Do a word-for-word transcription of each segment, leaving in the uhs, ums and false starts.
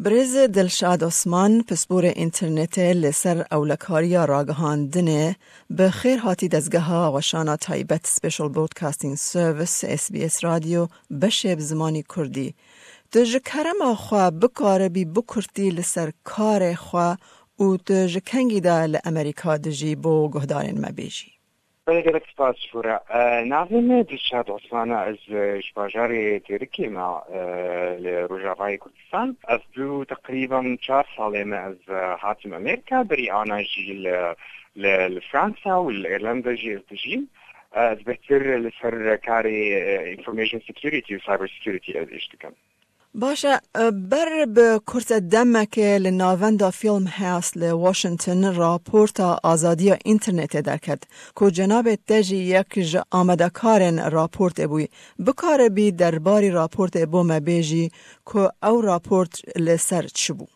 Birêz Dilşad Osman, pisporê înternetê li ser ewlekariya ragihandinê, bi xêr hatî dezgeha weşana taybet Special Broadcasting Service, S B S Radio, beşê bi zimanî kurdî. Tu ji kerema xwe bikaribî bi kurtî li ser karê xwe û tu ji kengî de li Amerîka dijî bo guhdarên me bêjî? Belê, gelek spas ji bo re. E, navê min Dilşad Osman e, ez, e, ji bajarê Dêrikê me, e, li Rojavayê Kurdistan. Ez bû teqrîben çar salê me ez, e, hatim Amerîka, berî ana jî li, li, li Fransa û li Îrlanda jî ez dijîm. E, ez bêhtir li ser karê, e, information security û cyber security ez îş dikim. Baş e, ber bi kurte demekê li navenda Filmhouse li Washington raporta azadiya înternetê derket, ku cenabê te jî yek ji amadekarên raportê bûyî. Bikaribî derbarî raportê bo me bêjî ku ew raport li ser çi bû?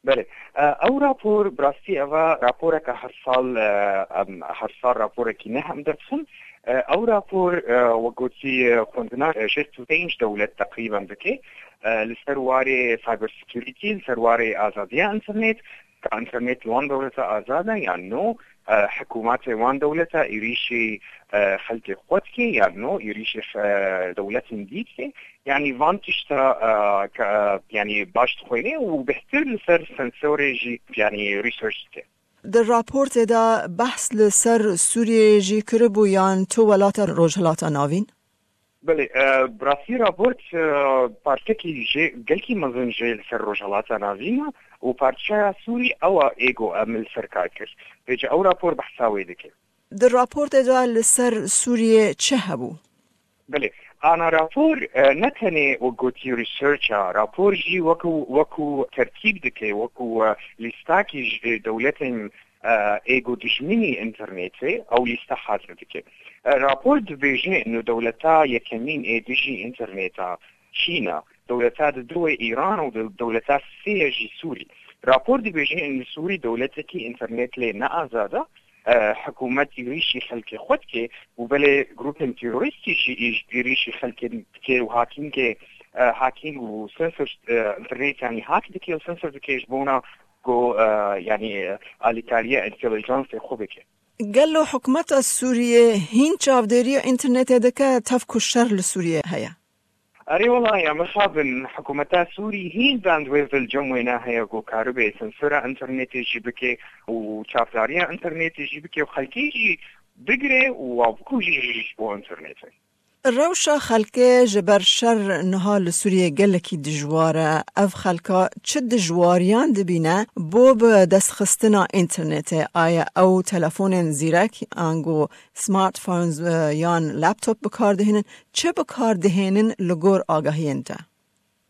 Belê. E, ew rapor, bi rastî ev e raporeke her sal, e, em, her sal raporekî neh em derdixin. E, ew rapor, e, wek gotî, e, xwendina, e, şêst û pênc dewlet teqrîben dike, e, li ser warê cyber security, li ser warê azadiya înternet, ka înternet li wan dewleta azad e yan no, e, hikûmetê wan dewleta êrîşî, e, xelkê xwe dike yan no, êrîşî, e, dewletên dî dike. Yanî van tişta, e, ke, yanî baş dixwîne û bêhtir li ser sensorê jî, yanî research dike. Di raportê de behs li ser Sûriyeyê jî kiribû yan tu welata Rojhilata Navîn? Belê, e, bi rastî raport, e, parçekî jê, gelkî mezin jê li ser Rojhilata Navîn e û parçeya Sûrî ew e ê ku em li ser kar kir. Vêca ew rapor behsa wê dike. Di raportê de li ser Sûriyê çi hebû? Belê. Ana rapor, e, ne tenê wek gotî research e, rapor jî wekû, wekû tertîb dike, wekû, e, lîstakî ji dewletên, e, ê ku dijminî înternetê, ew lîste hazir dike. E, rapor dibêje ino dewleta yekemîn ê dijî înterneta Çîn e, dewleta di du wê Îran û de-, dewleta sê ye jî Sûrî. Rapor dibêje ino Sûrî dewletekî înternet lê ne azad e, e, hikûmet êrîşî xelkê xwe dike û belê grûpên terorîstî jî îş-, êrîşî xelkê dike û hakînkê, e, hakîn û sensor, e, înternet yanî hak dike û sensor dike ji bona ku, e, yanî, e, alîkariya întelijansê xwe bike. Gelo hikûmeta Sûriyê hîn çavdêriya înternetê dike tev ku şer li Sûriyê heye? Erê wela ya mixabin, hikûmeta Sûrî hîn bandwidth li cem wê naheye ku karibê sensora înternetê jî bike û çavdariya înternetê jî bike û xelkê jî bigire û wa bikuje jî ji bo înternetê. Rewşa xelkê ji ber şer niha li Sûriyê gelekî dijwar e. Ev xelka çi dijwariyan dibîne bo bi destxistina înternetê? Aya ew telefonên zîrek, ango smartphones, e, yan laptop bi kar dihênin? Çi bi kar dihênin li gor agahiyên te?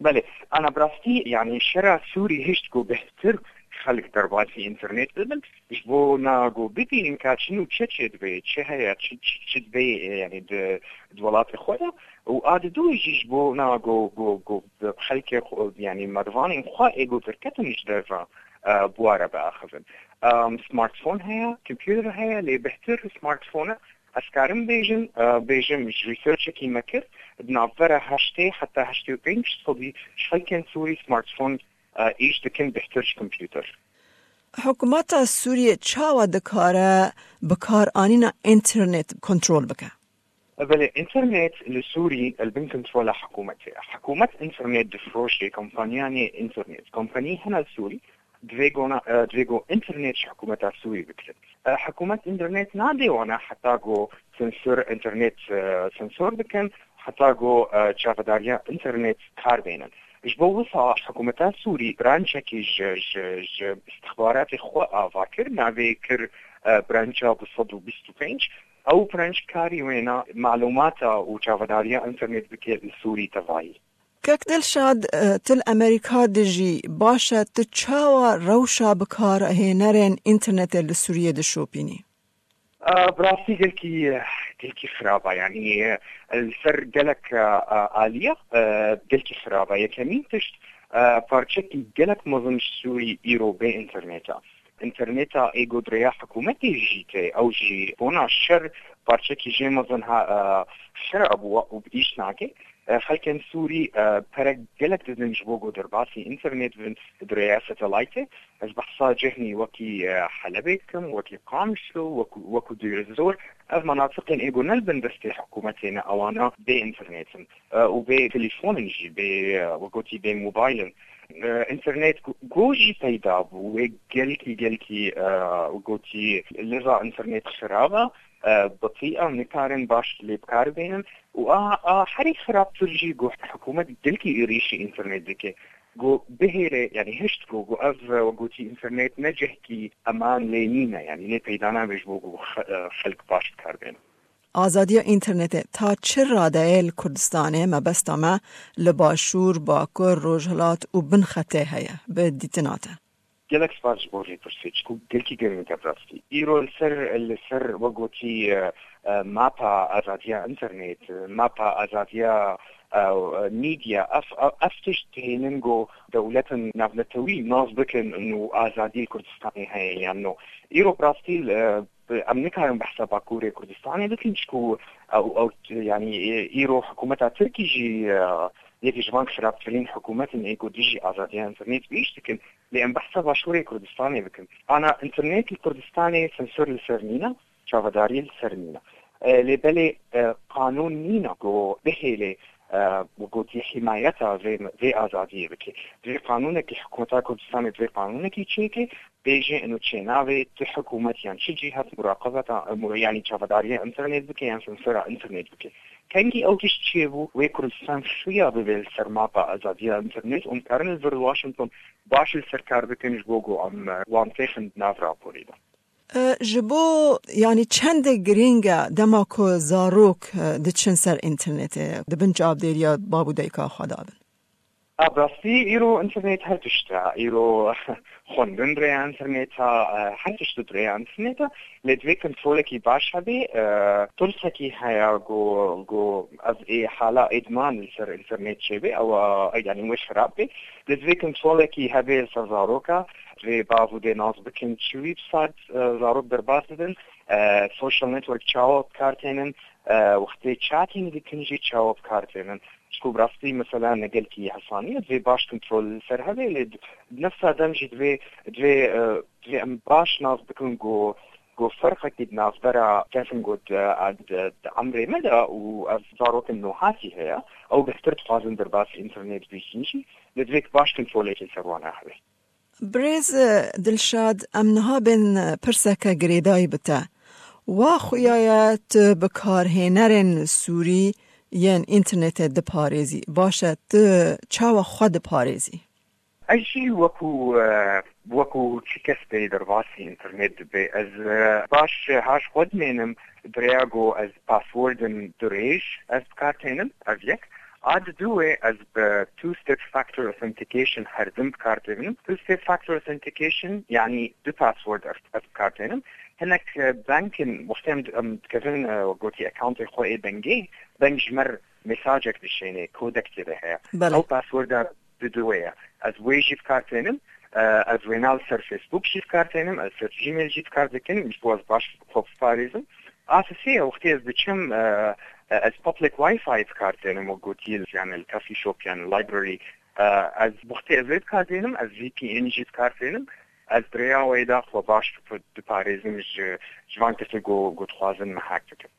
Belê, ana bi rastî, yanî şera Sûrî hişt ku bêhtir xelk derbasî înternet bibin, ji bo na ku bibînin ka çi nû çi çêdibe, çi heye, çi, çi, çi dibe, e, yanî di, di welatê xwe de. Û a di dû jî ji bo na ku, ku, ku xelkê xwe, yanî mervanên xwe ê ku derketin ji derve, e, bi wa re biaxivin. Em, smartphone heye, computer heye, lê bêhtir smartphone e. Ez karim bêjim, e, bêjim ji researchekî me kir, di navbera heştê heta heştê û pênc sedî ji xelkên Sûrî smartphone, e, îş dikin bêhtir ji kompûter. Hikûmeta Sûriyê çawa dikare bikaranîna înternet kontrol bike? Belê, înternet li Sûrî li bin kontrola hikûmetê ye. Hikûmet înternet difroşe kompaniyanê înternet. Kompanî hene li Sûrî, divê gona, e, divê go înternet ji hikûmeta Sûrî bikirin. E, hikûmet înternet nade wana heta go sensor înternet, e, sensor bikin, heta go, e, çavedariya înternet kar bênin. Ji bo wisa hikûmeta Sûrî brançekî ji, ji, ji istixbaratê xwe ava kir, navê kir, e, brança du sed û bîst û pênc. Ew branç karî wêna malûmata û çavedariya înternet bike li Sûrî tevayî. Kek Dilşad, e, tu li Amerîka dijî, baş e, tu çawa rewşa bikarhênerên înternetê li Sûriyê dişopînî? E, bi rastî gelkî, gelkî xirab e. Yanî, e, li ser gelek, e, e, aliya, e, gelkî xirab e. Yekemîn tişt, e, parçekî gelek mezin ji Sûrî îro bê înternet e. Înterneta ê go di rêya hikûmetê jî tê, ew jî bona şer parçekî jê mezin ha, e, xirab bû û bi îş nake. Xelkên Sûrî pere gelek didin ji bo ku derbasî înternet bin di rêya satelaytê. Ez behsa cehnî wekî Helebê dikim, wekî Qamişlo, wekî Dêrizor. Ev menatiqên ê ku ne li bin destê hikûmetê ne, ewana bê înternet in û bê telîfon in jî, bê, we gotî, bê mobayl in. Înternet ku jî peyda bû, wê gelkî, gelkî, we gotî, lêza înternet xirab e, bitî e, nikarin baş lê bi kar bênin û a, a herî xirabtir jî ku hikûmet gelkî êrîşî înternet dike. Ku bihêle, yanî hişt ku, ku ev, we gotî, înternet ne cihkî eman lê nîne, yanî lê peyda nabe ji bo ku xelk baş bi kar bênin. Azadiya înternetê ta çi radeyê li Kurdistanê, mebesta me li Başûr, Bakur, Rojhilat û Binxetê heye, bi dîtina te? Gelek spas ji bo vê pirsê, çiku gelkî girîng e bi rastî. Îro li ser, li ser we gotî, e, e, mapa azadiya înternet, mapa azadiya, e, e, medya, ev, ev, ev tişt dihêlin ku dewletin navnetewî nas bikin û azadiyê Kurdistanê heye yan no. Îro bi rastî, e, em nikarin behsa Bakurê Kurdistanê bikin, çiku ew, ew, yanî, e, îro hikûmeta Tirkî jî, e, yekî ji van xirabtirîn hikûmetin ê ku dijî azadiya înternet bi îş dikin. Lê em behsa Başûrê Kurdistanê bikin. Ana înternet li Kurdistanê sensor li ser nîne, çavedariyê li ser nîne. E, lê belê, e, qanûn nîne ku bihêlê, e, we gotî, himayeta vê, vê azadiyê bike. Divê qanûnekî, hikûmeta Kurdistanê divê qanûnekî çêke, bêje ino çênavê tu hikûmet yan çi cîhet muraqebeta, mu-, yanî çavedariya înternet bike yan sensora înternet bike. Kengî ew tişt çêbû, wê Kurdistan xuya bibe li ser mapa azadiya înternet û em karin li vir Washington baş li ser kar bikin ji bo ku em, e, wan têxin nav raporê de. E, ji bo, yanî çendê girîng e dema ku zarok, e, diçin ser înternetê, di bin çavdêriya bab û dayika xwe de bin? A, bi rastî îro înternet her tişt e. Îro xwendin rêya înternet e, e, her tişt bi rêya înternet e. Lê divê kontrolekî baş hebe. E, tirsekî heye ku, ku ev ê hala îdman li ser înternet çêbe, ew, e, yanî wê xirab be. Lê divê kontrolekî hebe li ser zaroka. Divê bav û dê nas bikin çi wî bi sed, e, zarok derbas didin. E, social network çawa bi kar tênin, e, wextê chatting dikin jî çawa bi kar tênin. Çiku bi rastî mesela ne gelkî hesanî ye, divê baş kontrol li ser hebe, lê di nefsa dem jî divê, divê, e, divê em baş nas bikin ku, ku ferqekî di navbera kesin ku di, di, di emrê me de û ev zarokên nuhatî heye, ew bêhtir dixwazin derbasî înternet bîsin jî, lê divê baş kontrolekî ser wan hebe. Birêz Dilşad, em niha bên pirseke girêdayî bi te. Wa xuya ye tu bikarhênerên Sûrî yên înternetê diparêzî. Baş e, tu çawa xwe diparêzî? Ez jî wekû, e, wekû çi kes tê derbasî înternet dibe. Ez, e, baş haş xwe dimênim, di rêya ku ez passwordin dirêj ez bi kar tênim, ev yek. A di du wê ez bi two-step factor authentication herdim bi kar tênim. Two-step factor authentication, yanî du password ez, ez bi kar tênim. Hinek, e, bankin, wextê em, em dikevin, e, gotî accountê xwe ê bengê, beng ji me re mesajek dişêne, kodek tê de heye. Belê. Ew passworda di du wê ye. Ez wê jî bi kar tênim, e, ez wêna li ser Facebook jî bi kar tênim, ez ser Gmail jî bi kar dikim, ji bo ez baş xwe biparêzim. A sisê ye, wextê ez diçim, e, e, ez public Wi-Fi bi kar tênim, wek gotî, yani li coffee shop, yani library, e, ez wextê ez vê bi kar tênim, ez V P N jî bi kar tênim, ez bi rêya wê de xwe baş diparêzim ji, ji van kesê ku, ku dixwazin me hack bikin.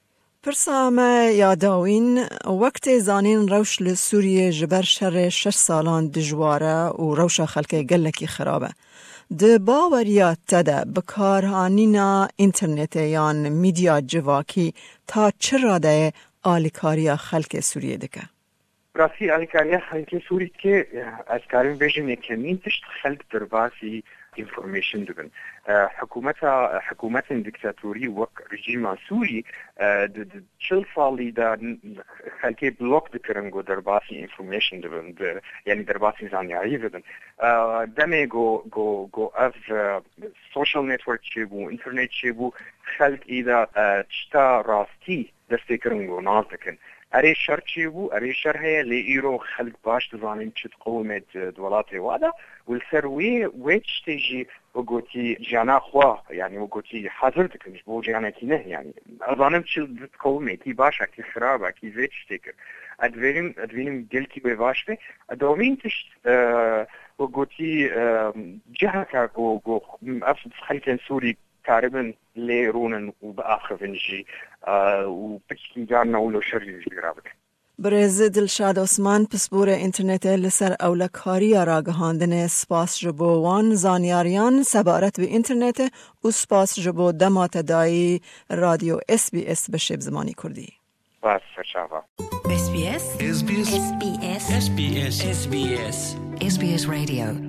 Pirsa me ya dawîn, wek tê zanîn, rewş li Sûriyê ji ber şerê şeş salan dijwar e û rewşa xelkê gelekî xirab e. Di baweriya te de, bikarhanîna înternetê yan medya civakî ta çi radeyê alîkariya xelkê Sûriyê dike? Rastî alîkariya xelkê Sûrî dike, ez karim bêjim, yekemîn tişt xelk derbasî information dibin. E, hikûmeta, hikûmetên dîktatorî wek rejîma Sûrî, e, di, di çil salî de n-, xelkê blok dikirin ku derbasî information dibin, di, yanî derbasî zanyarî bibin. E, demê ku, ku, ku ev, e, social network çêbû, internet çêbû, xelk îda, e, tişta rastî destpêkirin ku nas dikin. Erê şer çêbû, erê şer heye, lê îro xelk baş dizanin çi diqewime di, di welatê wa de û li ser wê, wê tiştê jî wek gotî jiyana xwe, yanî wek gotî hazir dikin ji bo jiyanekî ne, yanî ez zanim çi diqewime, kî baş e, kî xirab e, kî vê tiştê kir. Edvênim, edvînim gelkî wê baş be. Domîn tişt, e, ku gotî, e, ciheka ku, ku ev xelkên Sûrî karibin lê rûnin û biaxivin jî, e, û piçkî carna wilo şerî jî rabikin. Birêz Dilşad Osman, pisporê înternetê li ser ewlekariya ragihandinê, spas ji bo wan zanyariyan sebaret bi înternetê û spas ji bo dema te dayî Radyo S B S beşê bi zimanî Kurdî. Spas, serçava. S B S. S B S. S B S. S B S. S B S. S B S Radio.